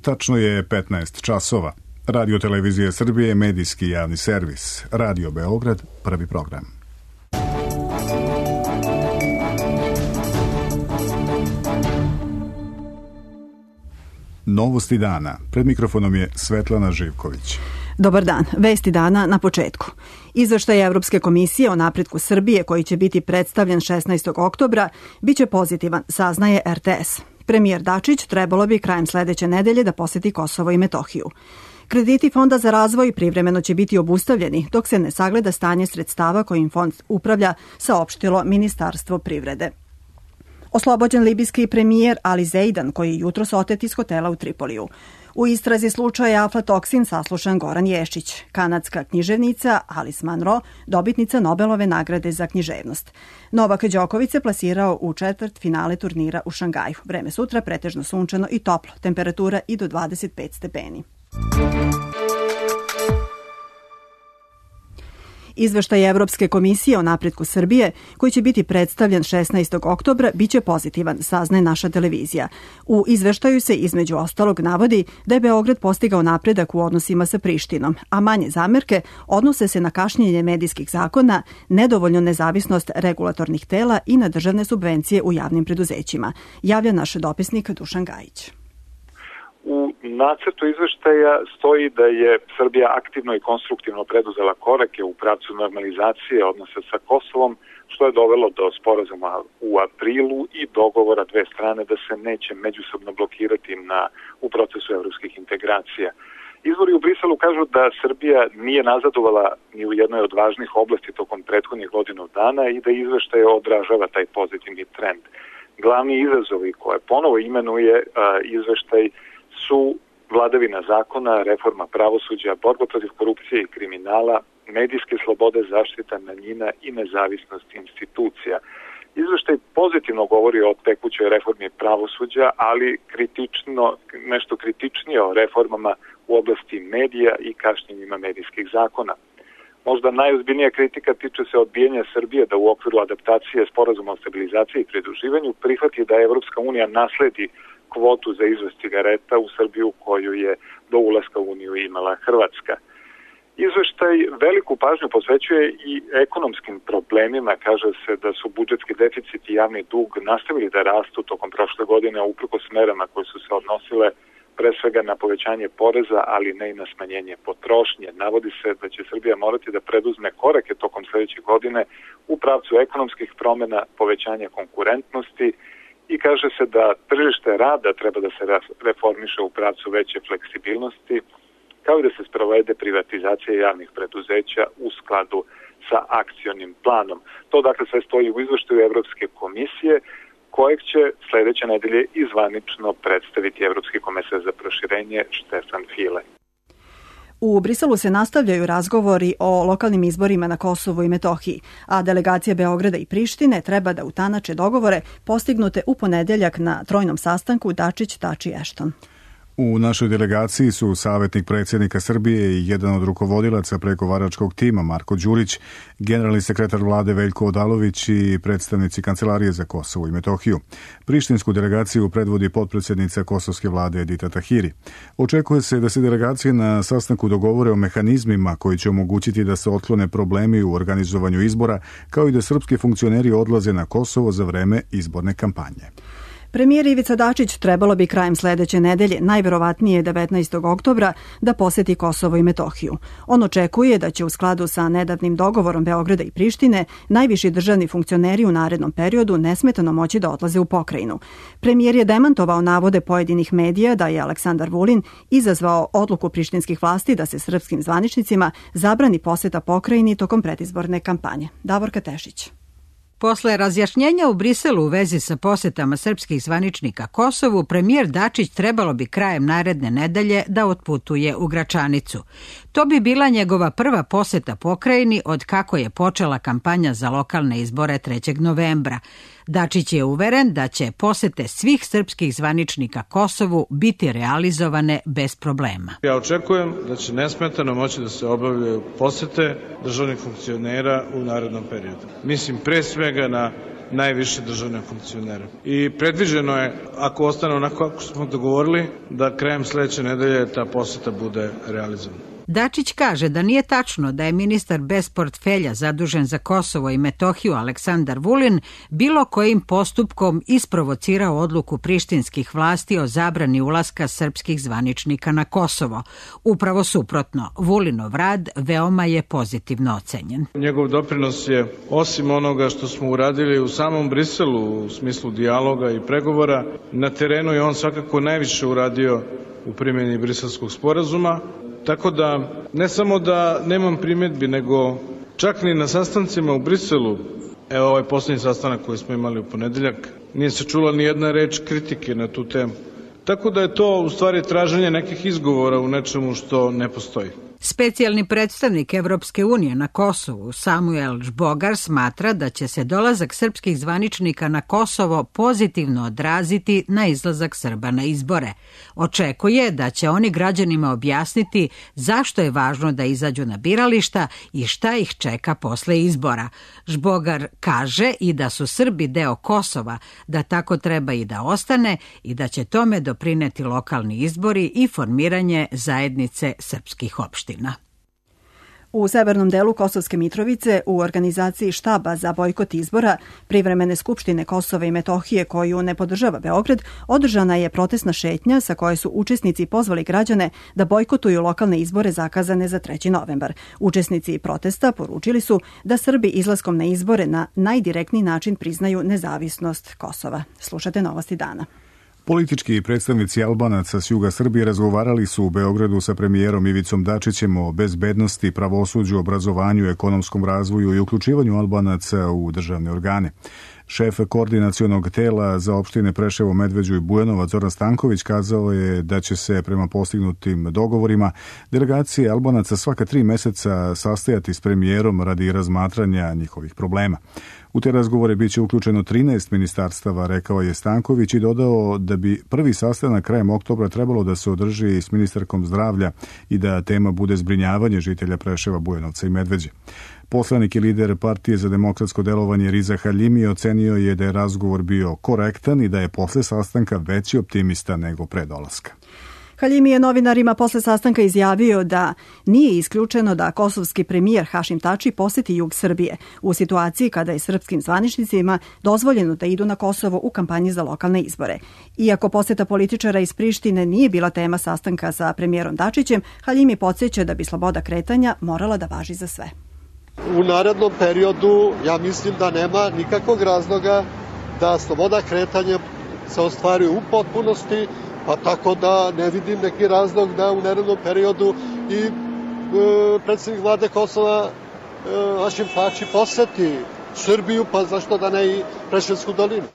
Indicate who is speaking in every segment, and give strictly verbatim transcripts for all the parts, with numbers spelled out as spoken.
Speaker 1: Tačno je petnaest časova. Radio Televizija Srbije, medijski javni servis. Radio Beograd, prvi program. Novosti dana. Pred mikrofonom je Svetlana Živković.
Speaker 2: Dobar dan. Vesti dana na početku. Izveštaj Evropske komisije o napretku Srbije, koji će biti predstavljen šesnaestog oktobra, biće pozitivan, saznaje er te es. Premijer Dačić trebalo bi krajem sledeće nedelje da poseti Kosovo i Metohiju. Krediti Fonda za razvoj privremeno će biti obustavljeni dok se ne sagleda stanje sredstava kojim fond upravlja, saopštilo Ministarstvo privrede. Oslobođen libijski premijer Ali Zeidan, koji je jutros otet iz hotela u Tripoliju. U istrazi slučaja aflatoksin saslušan Goran Ješić, kanadska književnica Alice Munro, dobitnica Nobelove nagrade za književnost. Novak Đoković se plasirao u četvrt finale turnira u Šangaju. Vreme sutra pretežno sunčano i toplo, temperatura i do dvadeset pet stepeni. Izveštaj Evropske komisije o napretku Srbije, koji će biti predstavljen šesnaestog oktobra, biće pozitivan, saznaje naša televizija. U izveštaju se između ostalog navodi da je Beograd postigao napredak u odnosima sa Prištinom, a manje zamerke odnose se na kašnjenje medijskih zakona, nedovoljnu nezavisnost regulatornih tela i na državne subvencije u javnim preduzećima, javlja naš dopisnik Dušan Gajić.
Speaker 3: U nacrtu izveštaja stoji da je Srbija aktivno i konstruktivno preduzela korake u pravcu normalizacije odnosa sa Kosovom, što je dovelo do sporazuma u aprilu i dogovora dve strane da se neće međusobno blokirati na, u procesu evropskih integracija. Izvori u Briselu kažu da Srbija nije nazadovala ni u jednoj od važnih oblasti tokom prethodnih godinu dana i da izveštaj odražava taj pozitivni trend. Glavni izazovi koje ponovo imenuje a, izveštaj su vladavina zakona, reforma pravosuđa, borba protiv korupcije i kriminala, medijske slobode, zaštita manjina i nezavisnost institucija. Izveštaj pozitivno govori o tekućoj reformi pravosuđa, ali kritično, nešto kritičnije o reformama u oblasti medija i kašnjenjima medijskih zakona. Možda najozbiljnija kritika tiče se odbijanja Srbije da u okviru adaptacije sporazuma o stabilizaciji i pridruživanju prihvati da Evropska unija nasledi kvotu za izvoz cigareta u Srbiju koju je do ulaska u Uniju imala Hrvatska. Izveštaj veliku pažnju posvećuje i ekonomskim problemima. Kaže se da su budžetski deficit i javni dug nastavili da rastu tokom prošle godine uprkos merama koje su se odnosile pre svega na povećanje poreza, ali ne i na smanjenje potrošnje. Navodi se da će Srbija morati da preduzme korake tokom sledeće godine u pravcu ekonomskih promena, povećanja konkurentnosti, i kaže se da tržište rada treba da se reformiše u pravcu veće fleksibilnosti, kao i da se sprovede privatizacija javnih preduzeća u skladu sa akcionim planom. To dakle sve stoji u izveštaju Evropske komisije, kojeg će sledeće nedelje izvanično predstaviti Evropski komesar za proširenje Štefan File.
Speaker 2: U Briselu se nastavljaju razgovori o lokalnim izborima na Kosovu i Metohiji, a delegacija Beograda i Prištine treba da utanače dogovore postignute u ponedeljak na trojnom sastanku Dačić, Tači, Ešton.
Speaker 1: U našoj delegaciji su savjetnik predsjednika Srbije i jedan od rukovodilaca pregovaračkog tima Marko Đurić, generalni sekretar vlade Veljko Odalović i predstavnici Kancelarije za Kosovo i Metohiju. Prištinsku delegaciju predvodi potpredsjednica kosovske vlade Edita Tahiri. Očekuje se da se delegacije na sastanku dogovore o mehanizmima koji će omogućiti da se otklone problemi u organizovanju izbora, kao i da srpski funkcioneri odlaze na Kosovo za vreme izborne kampanje.
Speaker 2: Premijer Ivica Dačić trebalo bi krajem sledeće nedelje, najverovatnije devetnaestog oktobra, da poseti Kosovo i Metohiju. On očekuje da će u skladu sa nedavnim dogovorom Beograda i Prištine najviši državni funkcioneri u narednom periodu nesmetano moći da odlaze u pokrajinu. Premijer je demantovao navode pojedinih medija da je Aleksandar Vulin izazvao odluku prištinskih vlasti da se srpskim zvaničnicima zabrani poseta pokrajini tokom predizborne kampanje. Davorka Tešić.
Speaker 4: Posle razjašnjenja u Briselu u vezi sa posetama srpskih zvaničnika Kosovu, premijer Dačić trebalo bi krajem naredne nedelje da otputuje u Gračanicu. To bi bila njegova prva poseta pokrajini od kako je počela kampanja za lokalne izbore trećeg novembra. Dačić je uveren da će posete svih srpskih zvaničnika Kosovu biti realizovane bez problema.
Speaker 5: Ja očekujem da će nesmetano moći da se obavljaju posete državnih funkcionera u narednom periodu. Mislim pre svega na najviše državne funkcionere. I predviđeno je, ako ostane onako kako smo dogovorili, da krajem sledeće nedelje ta poseta bude realizovana.
Speaker 4: Dačić kaže da nije tačno da je ministar bez portfelja zadužen za Kosovo i Metohiju Aleksandar Vulin bilo kojim postupkom isprovocirao odluku prištinskih vlasti o zabrani ulaska srpskih zvaničnika na Kosovo. Upravo suprotno, Vulinov rad veoma je pozitivno ocenjen.
Speaker 5: Njegov doprinos je, osim onoga što smo uradili u samom Briselu u smislu dijaloga i pregovora, na terenu je on svakako najviše uradio u primjeni Briselskog sporazuma. Tako da, ne samo da nemam primjedbi, nego čak ni na sastancima u Briselu, evo ovaj poslednji sastanak koji smo imali u ponedeljak, nije se čula ni jedna reč kritike na tu temu. Tako da je to u stvari traženje nekih izgovora u nečemu što ne postoji.
Speaker 4: Specijalni predstavnik Evropske unije na Kosovu Samuel Žbogar smatra da će se dolazak srpskih zvaničnika na Kosovo pozitivno odraziti na izlazak Srba na izbore. Očekuje da će oni građanima objasniti zašto je važno da izađu na birališta i šta ih čeka posle izbora. Žbogar kaže i da su Srbi deo Kosova, da tako treba i da ostane i da će tome doprineti lokalni izbori i formiranje zajednice srpskih opština.
Speaker 2: U severnom delu Kosovske Mitrovice, u organizaciji štaba za bojkot izbora Privremene skupštine Kosova i Metohije koju ne podržava Beograd, održana je protestna šetnja sa koje su učesnici pozvali građane da bojkotuju lokalne izbore zakazane za treći novembar. Učesnici protesta poručili su da Srbi izlaskom na izbore na najdirektniji način priznaju nezavisnost Kosova. Slušate Novosti dana.
Speaker 1: Politički predstavnici Albanaca s juga Srbije razgovarali su u Beogradu sa premijerom Ivicom Dačićem o bezbednosti, pravosuđu, obrazovanju, ekonomskom razvoju i uključivanju Albanaca u državne organe. Šef koordinacionog tela za opštine Preševo, Medveđu i Bujanovac Zoran Stanković kazao je da će se prema postignutim dogovorima delegacije Albanaca svaka tri meseca sastajati s premijerom radi razmatranja njihovih problema. U te razgovore biće uključeno trinaest ministarstava, rekao je Stanković i dodao da bi prvi sastanak krajem oktobra trebalo da se održi s ministarkom zdravlja i da tema bude zbrinjavanje žitelja Preševa, Bujanovca i Medveđe. Poslanik i lider Partije za demokratsko delovanje Riza Haljimi ocenio je da je razgovor bio korektan i da je posle sastanka veći optimista nego pre dolaska.
Speaker 2: Haljimi je novinarima posle sastanka izjavio da nije isključeno da kosovski premijer Hašim Tači poseti jug Srbije u situaciji kada je srpskim zvaničnicima dozvoljeno da idu na Kosovo u kampanji za lokalne izbore. Iako poseta političara iz Prištine nije bila tema sastanka sa premijerom Dačićem, Haljimi podsjeća da bi sloboda kretanja morala da važi za sve.
Speaker 6: U narednom periodu ja mislim da nema nikakvog razloga da sloboda kretanja se ostvaruje u potpunosti, pa tako da ne vidim neki razlog da u narednom periodu i e, predsjednik vlade Kosova e, Hašim Tači poseti Srbiju, pa zašto da ne i Preševsku dolinu.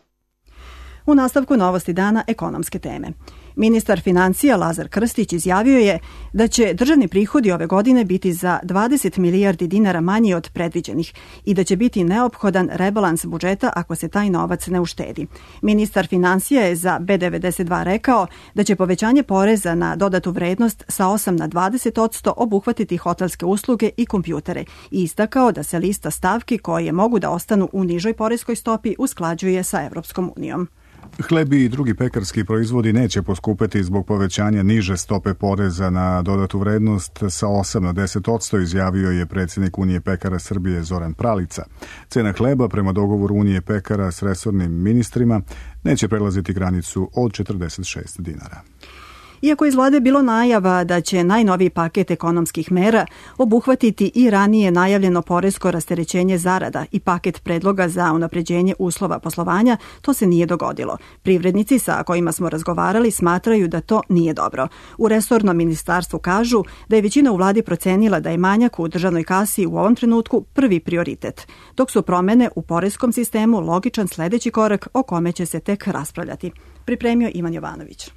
Speaker 2: U nastavku Novosti dana ekonomske teme. Ministar financija Lazar Krstić izjavio je da će državni prihodi ove godine biti za dvadeset milijardi dinara manji od predviđenih i da će biti neophodan rebalans budžeta ako se taj novac ne uštedi. Ministar financija je za B devedeset dva rekao da će povećanje poreza na dodatu vrednost sa osam na dvadeset posto obuhvatiti hotelske usluge i kompjutere i istakao da se lista stavki koje mogu da ostanu u nižoj poreskoj stopi usklađuje sa Evropskom unijom.
Speaker 1: Hlebi i drugi pekarski proizvodi neće poskupeti zbog povećanja niže stope poreza na dodatu vrednost sa osam na deset posto, izjavio je predsjednik Unije pekara Srbije Zoran Pralica. Cena hleba prema dogovoru Unije pekara s resornim ministrima neće prelaziti granicu od četrdeset šest dinara.
Speaker 2: Iako iz vlade bilo najava da će najnoviji paket ekonomskih mera obuhvatiti i ranije najavljeno poresko rasterećenje zarada i paket predloga za unapređenje uslova poslovanja, to se nije dogodilo. Privrednici sa kojima smo razgovarali smatraju da to nije dobro. U resornom ministarstvu kažu da je većina u vladi procenila da je manjak u državnoj kasi u ovom trenutku prvi prioritet, dok su promene u poreskom sistemu logičan sledeći korak o kome će se tek raspravljati. Pripremio Ivan Jovanović.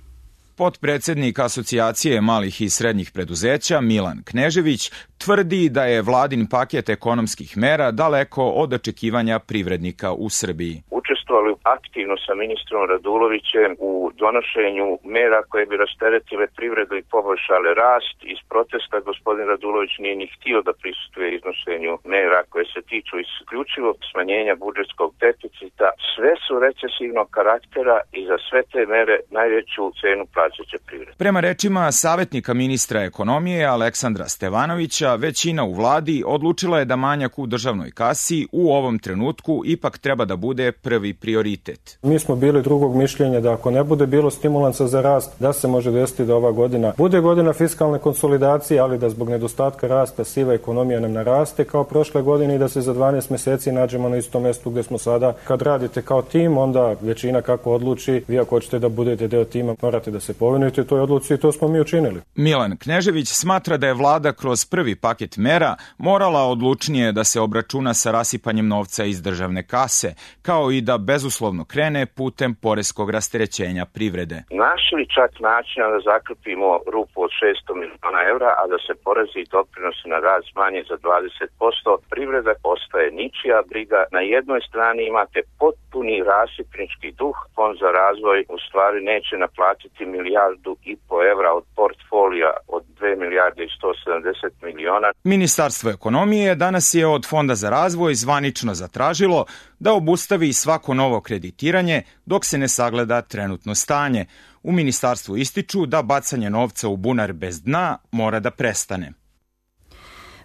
Speaker 7: Potpredsednik Asocijacije malih i srednjih preduzeća Milan Knežević tvrdi da je vladin paket ekonomskih mera daleko od očekivanja privrednika u Srbiji.
Speaker 8: Učestvuje učestvovali aktivno sa ministrom Radulovićem u donošenju mera koje bi rasteretile privredu i poboljšale rast. Iz protesta gospodin Radulović nije ni htio da prisustvuje iznošenju mera koje se tiču isključivo smanjenja budžetskog deficita. Sve su recesivnog karaktera i za sve te mere najveću cenu plaćaće privreda.
Speaker 7: Prema rečima savjetnika ministra ekonomije Aleksandra Stevanovića, većina u vladi odlučila je da manjak u državnoj kasi u ovom trenutku ipak treba da bude prvi prioritet.
Speaker 9: Mi smo bili drugog mišljenja da ako ne bude bilo stimulansa za rast, da se može desiti da ova godina bude godina fiskalne konsolidacije, ali da zbog nedostatka rasta siva ekonomija nam naraste kao prošle godine i da se za dvanaest meseci nađemo na istom mestu gde smo sada. Kad radite kao tim, onda većina kako odluči, vi ako hoćete da budete deo tima, morate da se povinujete toj odluci i to smo mi učinili.
Speaker 7: Milan Knežević smatra da je vlada kroz prvi paket mera morala odlučnije da se obračuna sa rasipanjem novca iz državne kase, kao i da bezuslovno krene putem poreskog rasterećenja privrede.
Speaker 8: Našli čak načina da zakrpimo rupu od šesto miliona evra, a da se porezi i doprinosi na rad smanje za dvadeset posto, privreda postaje ničija briga. Na jednoj strani imate potpuni rasipnički duh, Fond za razvoj u stvari neće naplatiti milijardu i po evra od portfolija od dve milijarde i sto sedamdeset miliona.
Speaker 7: Ministarstvo ekonomije danas je od Fonda za razvoj zvanično zatražilo da obustavi svako novo kreditiranje dok se ne sagleda trenutno stanje. U ministarstvu ističu da bacanje novca u bunar bez dna mora da prestane.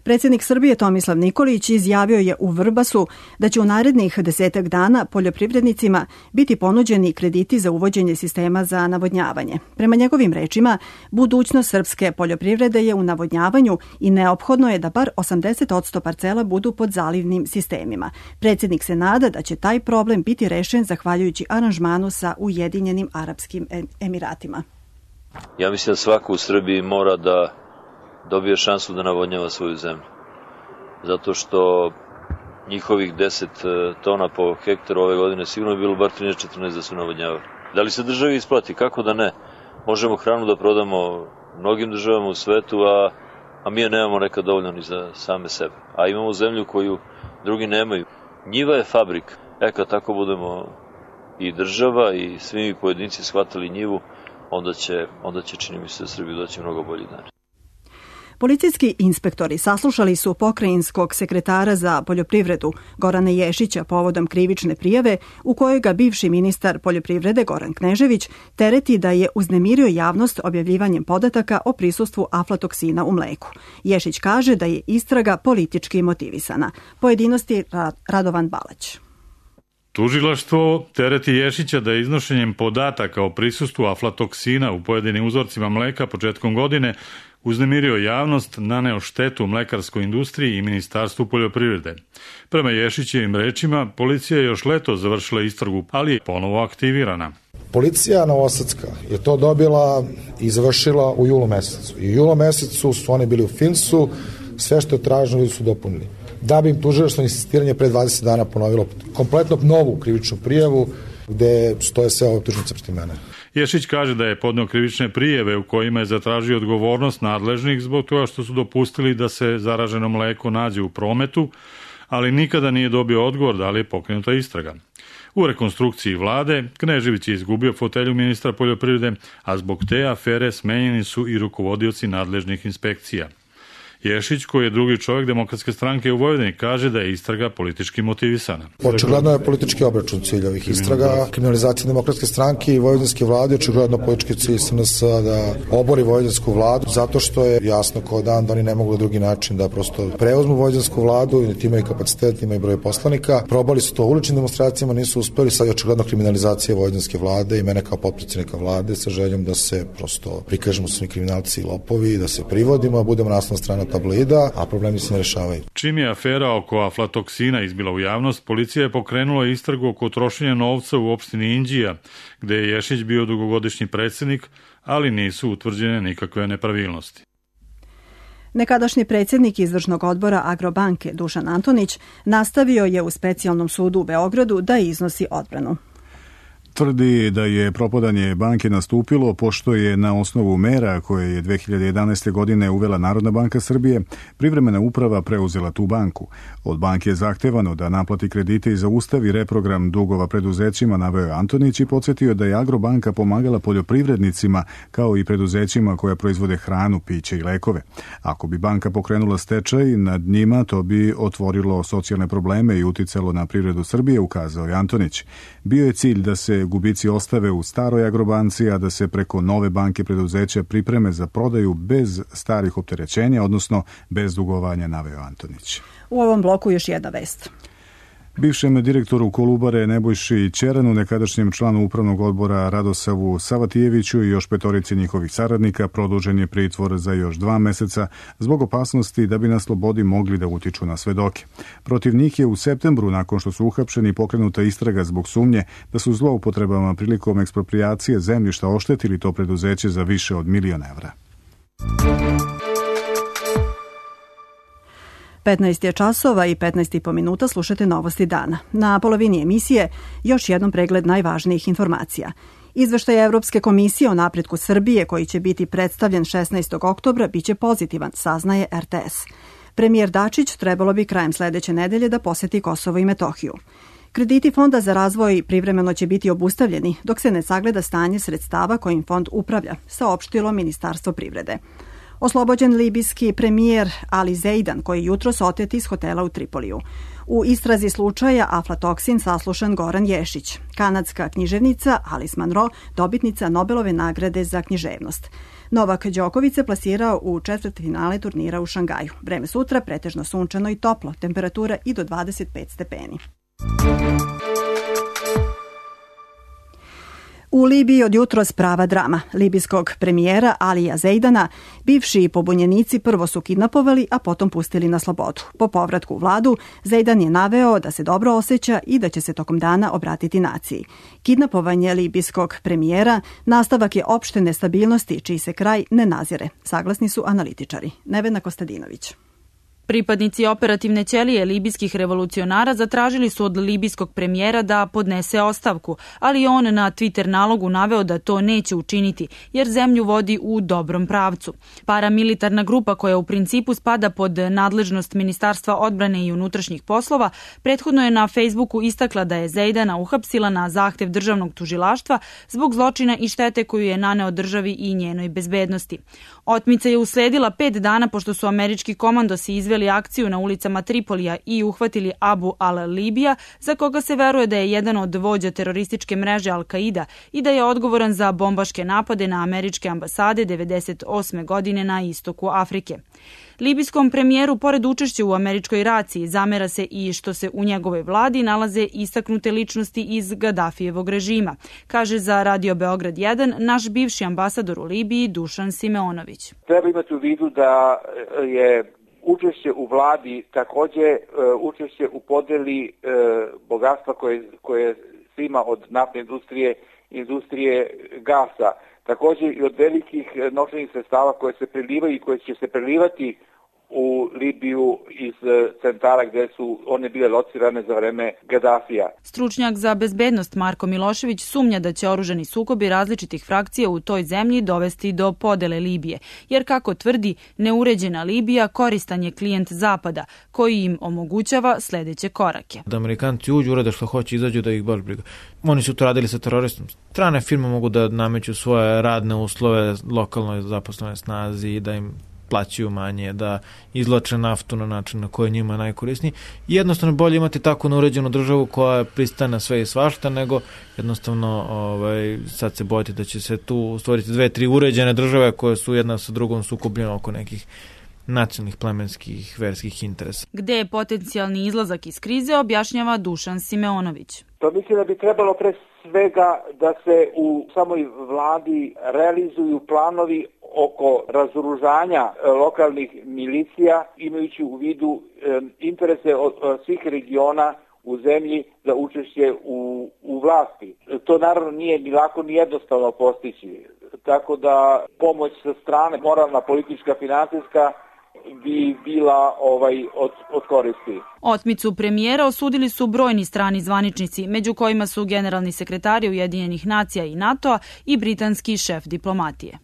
Speaker 2: Predsjednik Srbije Tomislav Nikolić izjavio je u Vrbasu da će u narednih desetak dana poljoprivrednicima biti ponuđeni krediti za uvođenje sistema za navodnjavanje. Prema njegovim rečima, budućnost srpske poljoprivrede je u navodnjavanju i neophodno je da bar osamdeset posto parcela budu pod zalivnim sistemima. Predsjednik se nada da će taj problem biti rešen zahvaljujući aranžmanu sa Ujedinjenim Arapskim Emiratima.
Speaker 10: Ja mislim da svako u Srbiji mora da dobije šansu da navodnjava svoju zemlju. Zato što njihovih deset tona po hektaru ove godine sigurno je bilo bar trinaest četrnaest da su navodnjavali. Da li se državi isplati? Kako da ne? Možemo hranu da prodamo mnogim državama u svetu, a, a mi je nemamo nekad dovoljno ni za same sebe. A imamo zemlju koju drugi nemaju. Njiva je fabrika. E kad tako budemo i država i svi mi pojedinci shvatili njivu, onda će, onda će čini mi se da Srbiji doći mnogo bolji dan.
Speaker 2: Policijski inspektori saslušali su pokrajinskog sekretara za poljoprivredu Gorana Ješića povodom krivične prijave u kojoj ga bivši ministar poljoprivrede Goran Knežević tereti da je uznemirio javnost objavljivanjem podataka o prisustvu aflatoksina u mleku. Ješić kaže da je istraga politički motivisana. Pojedinosti Radovan Balać.
Speaker 11: Tužilaštvo tereti Ješića da je iznošenjem podataka o prisustvu aflatoksina u pojedinim uzorcima mleka početkom godine uznemirio javnost, naneo štetu mlekarskoj industriji i Ministarstvu poljoprivrede. Prema Ješićevim rečima, policija je još leto završila istragu, ali je ponovo aktivirana.
Speaker 12: Policija novosadska je to dobila i završila u julu mesecu. I u julu mesecu su oni bili u Finsu, sve što je traženo ljudi su dopunili. Da bi im tužilaštvo insistiranje pre dvadeset dana ponovilo kompletno novu krivičnu prijavu gde stoje sve optužnice protiv mene.
Speaker 11: Ješić kaže da je podneo krivične prijeve u kojima je zatražio odgovornost nadležnih zbog toga što su dopustili da se zaraženo mleko nađe u prometu, ali nikada nije dobio odgovor da li je pokrenuta istraga. U rekonstrukciji vlade Knežević je izgubio fotelju ministra poljoprivrede, a zbog te afere smenjeni su i rukovodioci nadležnih inspekcija. Ješić, koji je drugi čovjek Demokratske stranke u Vojvodini, kaže da je istraga politički motivisana.
Speaker 12: Očigledno je politički obračun cilj ovih istraga. Kriminalizacija Demokratske stranke i vojvodinske vlade, očigledno politički cilj S N S da obori vojvodinsku vladu, zato što je jasno kao dan da oni ne mogu na drugi način da prosto preuzmu vojvodinsku vladu i niti imaju kapacitet, imaju broj poslanika. Probali su to uličnim demonstracijama, nisu uspeli, sad je očigledno kriminalizacija vojvodinske vlade i mene kao potpredsjednika vlade sa željom da se prosto prikažemo svi kriminalci i lopovi, da se privodimo, a budemo naslovna strana tabloida, a problemi se ne rešavaju.
Speaker 11: Čim je afera oko aflatoksina izbila u javnost, policija je pokrenula istragu oko trošenja novca u opštini Inđija, gde je Ješić bio dugogodišnji predsjednik, ali nisu utvrđene nikakve nepravilnosti.
Speaker 2: Nekadašnji predsjednik izvršnog odbora Agrobanke Dušan Antonić nastavio je u specijalnom sudu u Beogradu da iznosi odbranu.
Speaker 1: Tvrdi da je propadanje banke nastupilo pošto je na osnovu mera koje je dve hiljade jedanaeste. godine uvela Narodna banka Srbije, privremena uprava preuzela tu banku. Od banke je zahtevano da naplati kredite i zaustavi reprogram dugova preduzećima, naveo je Antonić i podsjetio da je Agrobanka pomagala poljoprivrednicima kao i preduzećima koja proizvode hranu, piće i lekove. Ako bi banka pokrenula stečaj nad njima, to bi otvorilo socijalne probleme i uticalo na privredu Srbije, ukazao je Antonić. Bio je cilj da se gubici ostave u staroj Agrobanci, a da se preko nove banke preduzeća pripreme za prodaju bez starih opterećenja, odnosno bez dugovanja, naveo Antonić.
Speaker 2: U ovom bloku još jedna vest.
Speaker 1: Bivšem direktoru Kolubare Nebojši Ćeranu, nekadašnjem članu upravnog odbora Radosavu Savatijeviću i još petorici njihovih saradnika produžen je pritvor za još dva meseca zbog opasnosti da bi na slobodi mogli da utiču na svedoke. Protiv njih je u septembru, nakon što su uhapšeni, pokrenuta istraga zbog sumnje da su zloupotrebama prilikom eksproprijacije zemljišta oštetili to preduzeće za više od milion evra.
Speaker 2: petnaest je časova i petnaest i po minuta, slušate novosti dana. Na polovini emisije još jednom pregled najvažnijih informacija. Izveštaj Evropske komisije o napretku Srbije, koji će biti predstavljen šesnaestog oktobra, biće pozitivan, saznaje er te es. Premijer Dačić trebalo bi krajem sledeće nedelje da poseti Kosovo i Metohiju. Krediti Fonda za razvoj privremeno će biti obustavljeni dok se ne sagleda stanje sredstava kojim fond upravlja, saopštilo Ministarstvo privrede. Oslobođen libijski premijer Ali Zeidan, koji je jutros otet iz hotela u Tripoliju. U istrazi slučaja aflatoksin saslušan Goran Ješić. Kanadska književnica Alice Munro, dobitnica Nobelove nagrade za književnost. Novak Đoković se plasirao u četvrtfinale turnira u Šangaju. Vreme sutra pretežno sunčano i toplo, temperatura i do dvadeset pet stepeni. U Libiji od jutros prava drama. Libijskog premijera Alija Zeidana bivši pobunjenici prvo su kidnapovali, a potom pustili na slobodu. Po povratku u vladu, Zeidan je naveo da se dobro osjeća i da će se tokom dana obratiti naciji. Kidnapovanje libijskog premijera nastavak je opšte nestabilnosti, čiji se kraj ne nazire. Saglasni su analitičari. Nevena Kostadinović.
Speaker 13: Pripadnici operativne ćelije libijskih revolucionara zatražili su od libijskog premijera da podnese ostavku, ali on na Twitter nalogu naveo da to neće učiniti, jer zemlju vodi u dobrom pravcu. Paramilitarna grupa koja u principu spada pod nadležnost Ministarstva odbrane i unutrašnjih poslova, prethodno je na Facebooku istakla da je Zeidana uhapsila na zahtev državnog tužilaštva zbog zločina i štete koju je naneo državi i njenoj bezbednosti. Otmica je usledila pet dana pošto su američki komandosi izveli akciju na ulicama Tripolija i uhvatili Abu al-Libija, za koga se veruje da je jedan od vođa terorističke mreže Al-Qaida i da je odgovoran za bombaške napade na američke ambasade devedeset osme godine na istoku Afrike. Libijskom premijeru, pored učešća u američkoj raciji, zamera se i što se u njegovoj vladi nalaze istaknute ličnosti iz Gadafijevog režima, kaže za Radio Beograd jedan naš bivši ambasador u Libiji Dušan Simeonović.
Speaker 14: Treba imati u vidu da je učešće u vladi takođe učešće u podeli bogatstva koje, koje se ima od naftne industrije, industrije gasa, takođe i od velikih novčanih sredstava koje se prelivaju i koje će se prelivati u Libiju iz centara gde su one bile locirane za vreme Gadafija.
Speaker 13: Stručnjak za bezbednost Marko Milošević sumnja da će oružani sukobi različitih frakcija u toj zemlji dovesti do podele Libije, jer kako tvrdi, neuređena Libija koristan je klijent Zapada, koji im omogućava sledeće korake.
Speaker 15: Da Amerikanci uđu, urade što hoće, izađu da ih baš briga. Oni su to radili sa teroristom. Strane firme mogu da nameću svoje radne uslove lokalnoj zaposlenoj snazi i da im plaćaju manje, da izlače naftu na način na koji je njima najkorisniji. Jednostavno bolje imati tako neuređenu državu koja pristane sve i svašta, nego jednostavno ovaj, sad se bojite da će se tu stvoriti dve, tri uređene države koje su jedna sa drugom sukobljene oko nekih nacionalnih, plemenskih, verskih interesa.
Speaker 13: Gde je potencijalni izlazak iz krize, objašnjava Dušan Simeonović.
Speaker 14: To mislim da bi trebalo pre svega da se u samoj vladi realizuju planovi oko razoružanja lokalnih milicija, imajući u vidu e, interese od, od svih regiona u zemlji za učešće u, u vlasti. To naravno nije ni lako ni jednostavno postići. Tako da pomoć sa strane, moralna, politička, finansijska, bi bila ovaj od, od koristi.
Speaker 13: Otmicu premijera osudili su brojni strani zvaničnici, među kojima su generalni sekretari Ujedinjenih nacija i NATO-a i britanski šef diplomatije.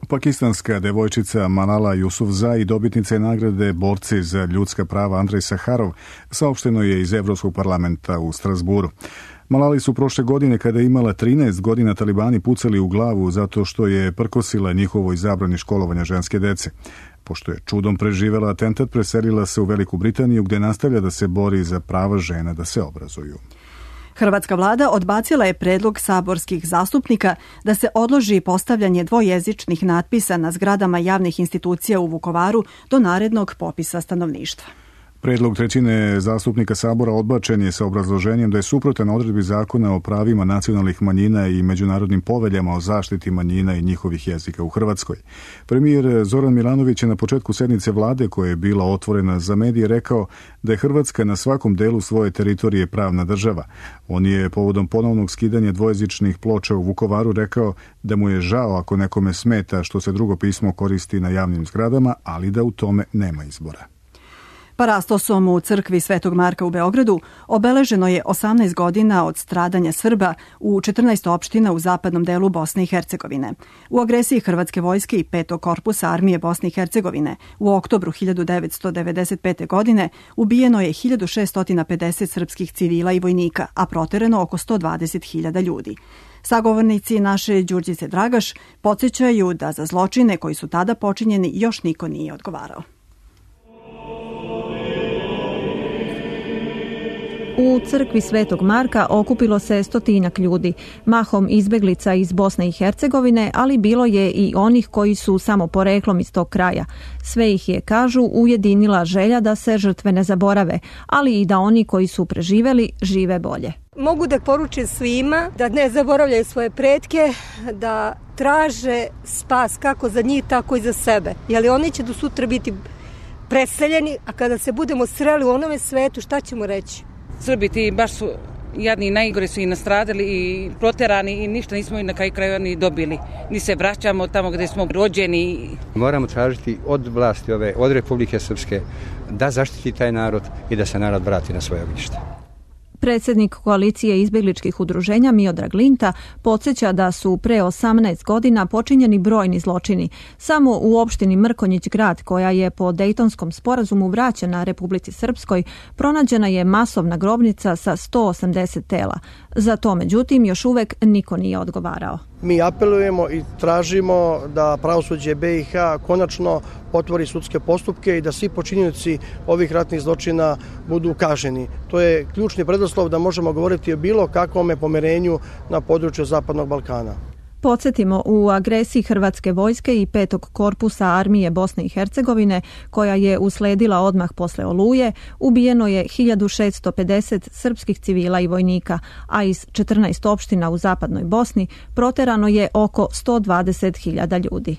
Speaker 1: Pakistanska devojčica Malala Yousafzai, dobitnica je nagrade Borci za ljudska prava Andrej Saharov, saopšteno je iz Evropskog parlamenta u Strasburu. Malali su prošle godine, kada je imala trinaest godina, talibani pucali u glavu zato što je prkosila njihovoj zabrani školovanja ženske dece. Pošto je čudom preživela atentat, preselila se u Veliku Britaniju, gde nastavlja da se bori za prava žena da se obrazuju.
Speaker 2: Hrvatska vlada odbacila je predlog saborskih zastupnika da se odloži postavljanje dvojezičnih natpisa na zgradama javnih institucija u Vukovaru do narednog popisa stanovništva.
Speaker 1: Predlog trećine zastupnika Sabora odbačen je sa obrazloženjem da je suprotan odredbi zakona o pravima nacionalnih manjina i međunarodnim poveljama o zaštiti manjina i njihovih jezika u Hrvatskoj. Premijer Zoran Milanović je na početku sednice vlade, koja je bila otvorena za medije, rekao da je Hrvatska na svakom delu svoje teritorije pravna država. On je povodom ponovnog skidanja dvojezičnih ploča u Vukovaru rekao da mu je žao ako nekome smeta što se drugo pismo koristi na javnim zgradama, ali da u tome nema izbora.
Speaker 2: Parastosom u crkvi Svetog Marka u Beogradu obeleženo je osamnaest godina od stradanja Srba u četrnaest opština u zapadnom delu Bosne i Hercegovine. U agresiji Hrvatske vojske i petog korpusa armije Bosne i Hercegovine u oktobru hiljadu devetsto devedeset pete. godine ubijeno je hiljadu šeststo pedeset srpskih civila i vojnika, a proterano oko sto dvadeset hiljada ljudi. Sagovornici naše Đurđice Dragaš podsjećaju da za zločine koji su tada počinjeni još niko nije odgovarao.
Speaker 16: U crkvi Svetog Marka okupilo se stotinak ljudi, mahom izbeglica iz Bosne i Hercegovine, ali bilo je i onih koji su samo poreklom iz tog kraja. Sve ih je, kažu, ujedinila želja da se žrtve ne zaborave, ali i da oni koji su preživeli žive bolje.
Speaker 17: Mogu da poručim svima da ne zaboravljaju svoje pretke, da traže spas kako za njih, tako i za sebe. Jer oni će do sutra biti preseljeni, a kada se budemo sreli u onome svetu, šta ćemo reći?
Speaker 18: Srbi ti baš su jadni i najgore su i nastradali i proterani i ništa nismo i na kraju krajeva ni dobili. Ni se vraćamo tamo gde smo rođeni.
Speaker 19: Moramo tražiti od vlasti ove, od Republike Srpske da zaštiti taj narod i da se narod vrati na svoje ognjište.
Speaker 16: Predsjednik koalicije izbjegličkih udruženja Miodrag Linta podsjeća da su pre osamnaest godina počinjeni brojni zločini. Samo u opštini Mrkonjić Grad, koja je po Dejtonskom sporazumu vraćena Republici Srpskoj, pronađena je masovna grobnica sa sto osamdeset tela. Za to, međutim, još uvek niko nije odgovarao.
Speaker 20: Mi apelujemo i tražimo da pravosuđe be i ha konačno otvori sudske postupke i da svi počinioci ovih ratnih zločina budu kažnjeni. To je ključni preduslov da možemo govoriti o bilo kakvom pomirenju na području Zapadnog Balkana.
Speaker 16: Podsjetimo, u agresiji Hrvatske vojske i petog korpusa armije Bosne i Hercegovine, koja je usledila odmah posle Oluje, ubijeno je hiljadu šeststo pedeset srpskih civila i vojnika, a iz četrnaest opština u zapadnoj Bosni proterano je oko sto dvadeset hiljada ljudi.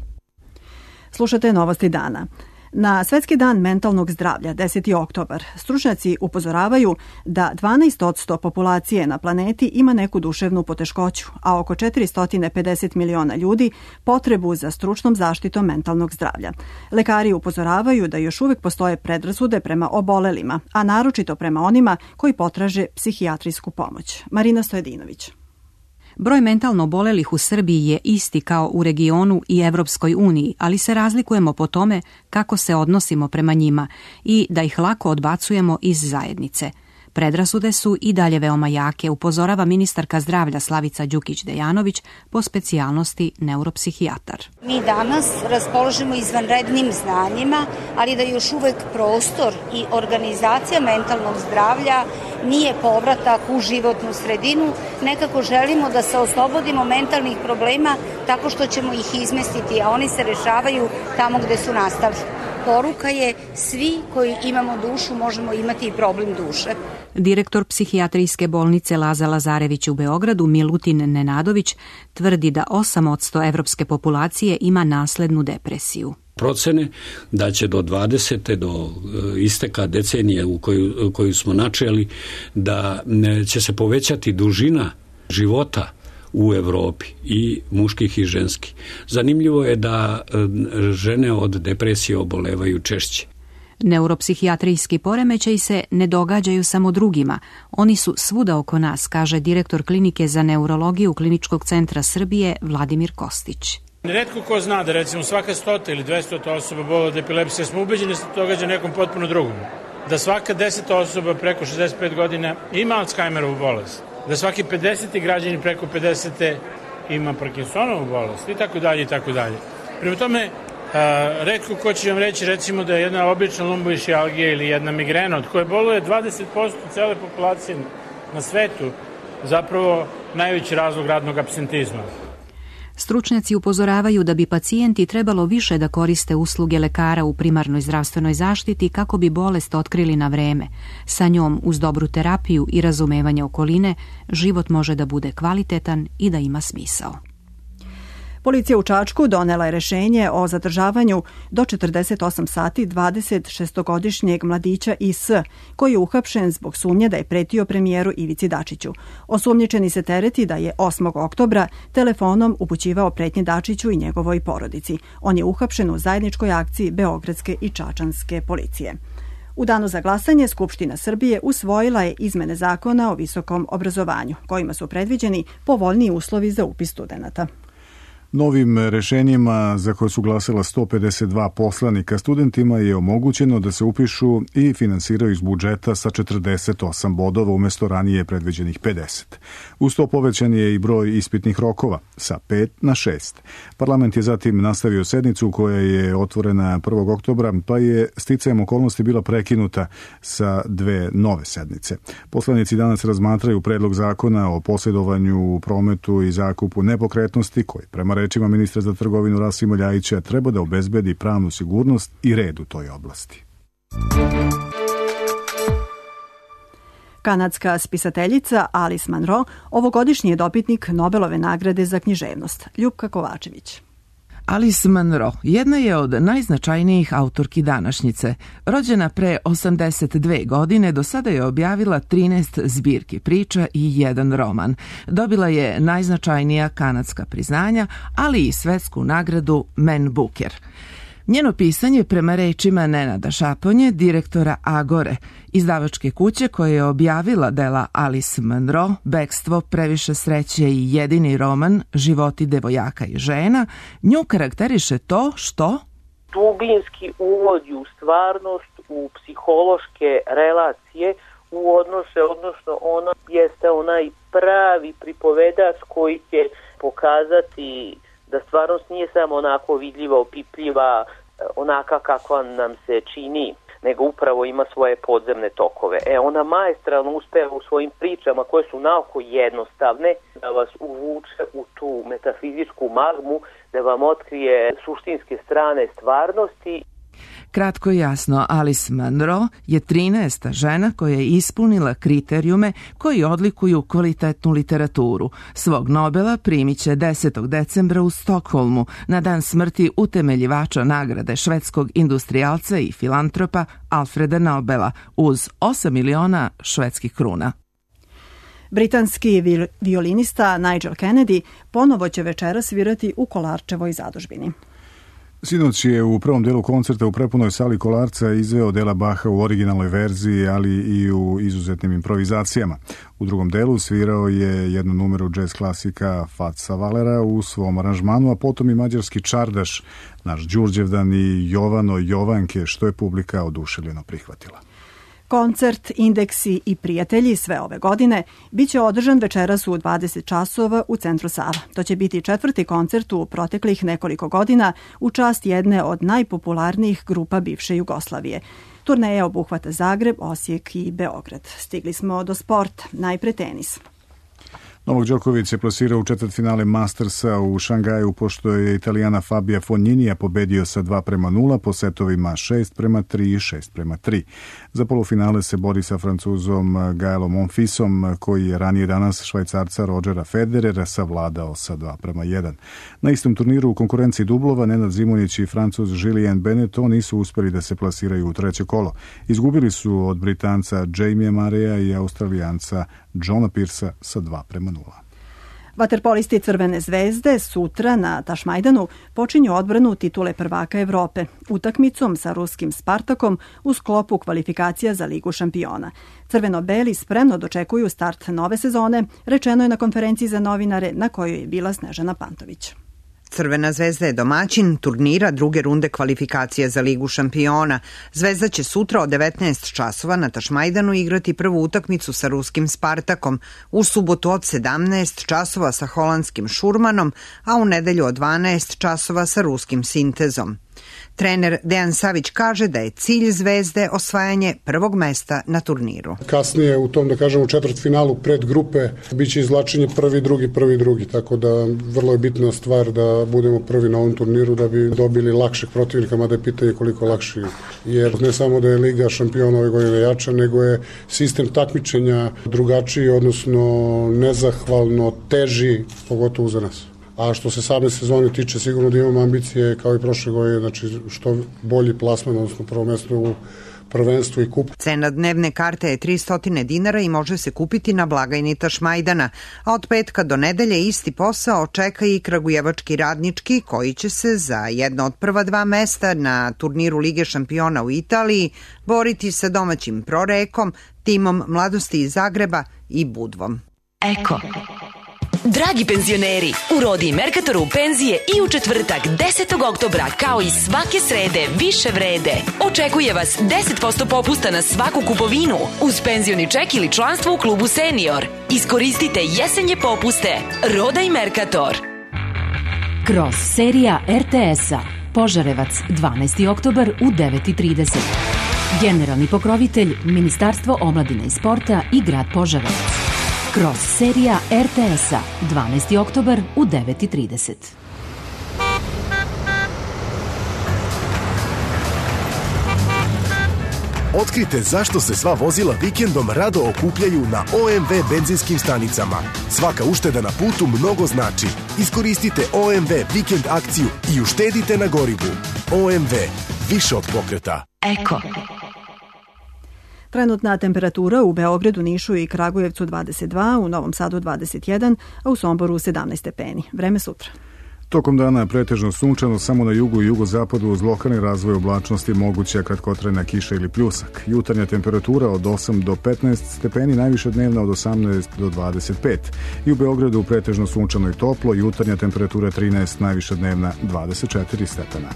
Speaker 2: Slušate Novosti dana. Na Svetski dan mentalnog zdravlja, deseti oktobar, stručnjaci upozoravaju da dvanaest posto populacije na planeti ima neku duševnu poteškoću, a oko četiristo pedeset miliona ljudi potrebu za stručnom zaštitom mentalnog zdravlja. Lekari upozoravaju da još uvijek postoje predrasude prema obolelima, a naročito prema onima koji potraže psihijatrijsku pomoć. Marina Stojedinović.
Speaker 21: Broj mentalno obolelih u Srbiji je isti kao u regionu i Evropskoj uniji, ali se razlikujemo po tome kako se odnosimo prema njima i da ih lako odbacujemo iz zajednice. Predrasude su i dalje veoma jake, upozorava ministarka zdravlja Slavica Đukić-Dejanović, po specijalnosti neuropsihijatar.
Speaker 22: Mi danas raspoložimo izvanrednim znanjima, ali da još uvek prostor i organizacija mentalnog zdravlja nije povratak u životnu sredinu. Nekako želimo da se oslobodimo mentalnih problema tako što ćemo ih izmestiti, a oni se rešavaju tamo gde su nastali. Poruka je, svi koji imamo dušu možemo imati i problem duše.
Speaker 21: Direktor psihijatrijske bolnice Laza Lazarević u Beogradu, Milutin Nenadović, tvrdi da osam posto evropske populacije ima naslednu depresiju.
Speaker 23: Procene da će do dvadesete do isteka decenije u koju, koju smo načeli, da će se povećati dužina života u Evropi, i muških i ženskih. Zanimljivo je da žene od depresije obolevaju češće.
Speaker 21: Neuropsihijatrijski poremećaji se ne događaju samo drugima. Oni su svuda oko nas, kaže direktor klinike za neurologiju Kliničkog centra Srbije Vladimir Kostić.
Speaker 3: Retko ko zna da recimo svaka stota ili dvestota osoba boli od epilepsije, smo ubeđeni da se to događa nekom potpuno drugom. Da svaka deseta osoba preko šezdeset pet godina ima Alzheimerovu bolest. Da svaki pedeseti građani preko pedesete ima Parkinsonovu bolest i tako dalje i tako dalje. Prema tome, a, retko ko će vam reći recimo da je jedna obična lumboišijalgija ili jedna migrena od koje boluje dvadeset posto cele populacije na svetu zapravo najveći razlog radnog apsentizma.
Speaker 21: Stručnjaci upozoravaju da bi pacijenti trebalo više da koriste usluge lekara u primarnoj zdravstvenoj zaštiti kako bi bolest otkrili na vreme. Sa njom, uz dobru terapiju i razumevanje okoline, život može da bude kvalitetan i da ima smisao.
Speaker 2: Policija u Čačku donela je rešenje o zadržavanju do četrdeset osam sati dvadeset šestogodišnjeg mladića I S, koji je uhapšen zbog sumnje da je pretio premijeru Ivici Dačiću. Osumnjičeni se tereti da je osmog oktobra telefonom upućivao pretnje Dačiću i njegovoj porodici. On je uhapšen u zajedničkoj akciji Beogradske i Čačanske policije. U danu za glasanje Skupština Srbije usvojila je izmene zakona o visokom obrazovanju, kojima su predviđeni povoljniji uslovi za upis studenata.
Speaker 1: Novim rešenjima za koje su glasila sto pedeset dva poslanika studentima je omogućeno da se upišu i finansiraju iz budžeta sa četrdeset osam bodova umjesto ranije predviđenih pedeset. Uz to povećan je i broj ispitnih rokova sa pet na šest. Parlament je zatim nastavio sednicu koja je otvorena prvog oktobra, pa je sticajem okolnosti bila prekinuta sa dve nove sednice. Poslanici danas razmatraju predlog zakona o posjedovanju, prometu i zakupu nepokretnosti koji prema rečima ministra za trgovinu Rasima Ljajića treba da obezbedi pravnu sigurnost i red u toj oblasti.
Speaker 2: Kanadska spisateljica Alice Munro ovogodišnji je dobitnik Nobelove nagrade za književnost. Ljupka Kovačević.
Speaker 4: Alice Munro jedna je od najznačajnijih autorki današnjice. Rođena pre osamdeset dve godine, do sada je objavila trinaest zbirki priča i jedan roman. Dobila je najznačajnija kanadska priznanja, ali i svetsku nagradu Man Booker. Njeno pisanje, prema rečima Nenada Šaponje, direktora Agore, izdavačke kuće koja je objavila dela Alice Munro, Bekstvo, Previše sreće i jedini roman Životi devojaka i žena, nju karakteriše to što
Speaker 5: dubinski uvodi u stvarnost, u psihološke relacije, u odnose, odnosno ona jeste onaj pravi pripovedač koji će pokazati da stvarnost nije samo onako vidljiva, opipljiva, onaka kakva nam se čini, nego upravo ima svoje podzemne tokove. E, ona maestralno uspeva u svojim pričama koje su naoko jednostavne da vas uvuče u tu metafizičku magmu, da vam otkrije suštinske strane stvarnosti.
Speaker 4: Kratko i jasno, Alice Munro je trinaesta žena koja je ispunila kriterijume koji odlikuju kvalitetnu literaturu. Svog Nobela primit će desetog decembra u Stokholmu na dan smrti utemeljivača nagrade švedskog industrijalca i filantropa Alfreda Nobela uz osam miliona švedskih kruna.
Speaker 2: Britanski violinista Nigel Kennedy ponovo će večera svirati u Kolarčevoj zadužbini.
Speaker 1: Sinoć je u prvom delu koncerta u prepunoj sali Kolarca izveo dela Baha u originalnoj verziji, ali i u izuzetnim improvizacijama. U drugom delu svirao je jednu numeru džez klasika Faca Valera u svom aranžmanu, a potom i mađarski čardaš, naš Đurđevdan i Jovano Jovanke, što je publika oduševljeno prihvatila.
Speaker 2: Koncert Indeksi i prijatelji sve ove godine biće održan večeras u dvadeset časova u Centru Sava. To će biti četvrti koncert u proteklih nekoliko godina u čast jedne od najpopularnijih grupa bivše Jugoslavije. Turneja obuhvata Zagreb, Osijek i Beograd. Stigli smo do sporta, najpre tenis.
Speaker 1: Novak Đoković se plasirao u četvrtfinale Mastersa u Šangaju, pošto je Italijana Fabija Fogninija pobedio sa dva prema nula po setovima šest prema tri i šest prema tri. Za polufinale se bori sa Francuzom Gaelom Monfisom, koji je ranije danas Švajcarca Rodgera Federera savladao sa dva prema jedan. Na istom turniru u konkurenciji dublova Nenad Zimunić i Francuz Julien Benetton nisu uspjeli da se plasiraju u treće kolo. Izgubili su od Britanca Jamie Marea i Australijanca Johna Pearsa sa dva prema nula.
Speaker 2: Vaterpolisti Crvene zvezde sutra na Tašmajdanu počinju odbranu titule prvaka Evrope utakmicom sa ruskim Spartakom u sklopu kvalifikacija za Ligu šampiona. Crveno-beli spremno dočekuju start nove sezone, rečeno je na konferenciji za novinare na kojoj je bila Snežana Pantović.
Speaker 6: Crvena zvezda je domaćin turnira druge runde kvalifikacije za Ligu šampiona. Zvezda će sutra od devetnaest časova na Tašmajdanu igrati prvu utakmicu sa ruskim Spartakom, u subotu od sedamnaest časova sa holandskim Šurmanom, a u nedelju od dvanaest časova sa ruskim Sintezom. Trener Dejan Savić kaže da je cilj Zvezde osvajanje prvog mesta na turniru.
Speaker 8: Kasnije u tom, da kažemo, četvrtfinalu pred grupe biće izvlačenje prvi, drugi, prvi, drugi, tako da vrlo je bitna stvar da budemo prvi na ovom turniru da bi dobili lakšeg protivnika, mada je pitanje koliko lakši, jer ne samo da je Liga šampiona ove godine jača, nego je sistem takmičenja drugačiji, odnosno nezahvalno teži, pogotovo za nas. A što se same sezone tiče, sigurno da imamo ambicije kao i prošle godine, znači što bolji plasman, odnosno prvo mesto u prvenstvu i kup.
Speaker 6: Cena dnevne karte je tristo dinara i može se kupiti na blagajni Tašmajdana, a od petka do nedelje isti posao čeka i kragujevački Radnički, koji će se za jedno od prva dva mesta na turniru Lige šampiona u Italiji boriti sa domaćim Prorekom, timom Mladosti iz Zagreba i Budvom.
Speaker 9: Eko. Dragi penzioneri, u Rodi Merkatoru penzije i u četvrtak desetog oktobra kao i svake srede više vrede. Očekuje vas deset posto popusta na svaku kupovinu uz penzioni ček ili članstvo u klubu Senior. Iskoristite jesenje popuste. Roda i Merkator.
Speaker 24: Kroz serija er te es-a Požarevac, dvanaesti oktobar u devet i trideset. Generalni pokrovitelj Ministarstvo omladine i sporta i grad Požarevac. Kroz serija er te es-a, dvanaesti oktobar u devet i trideset.
Speaker 25: Otkrite zašto se sva vozila vikendom rado okupljaju na o em ve benzinskim stanicama. Svaka ušteda na putu mnogo znači. Iskoristite o em ve vikend akciju i uštedite na gorivu. o em ve, više od pokreta.
Speaker 9: Eko.
Speaker 2: Trenutna temperatura u Beogradu, Nišu i Kragujevcu dvadeset dva, u Novom Sadu dvadeset jedan, a u Somboru sedamnaest stepeni. Vreme sutra.
Speaker 1: Tokom dana je pretežno sunčano, samo na jugu i jugozapadu uz lokalni razvoj oblačnosti moguća kratkotrajna kiša ili pljusak. Jutarnja temperatura od osam do petnaest stepeni, najviša dnevna od osamnaest do dvadeset pet. I u Beogradu pretežno sunčano i toplo, jutarnja temperatura trinaest, najviša dnevna dvadeset četiri stepena.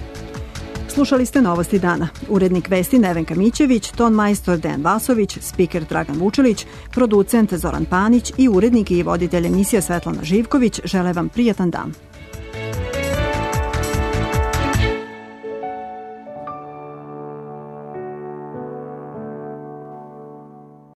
Speaker 2: Slušali ste Novosti dana. Urednik vesti Nevenka Mićević, ton majstor Dejan Vasović, spiker Dragan Vučelić, producent Zoran Panić i urednik i voditelj emisije Svetlana Živković žele vam prijatan dan.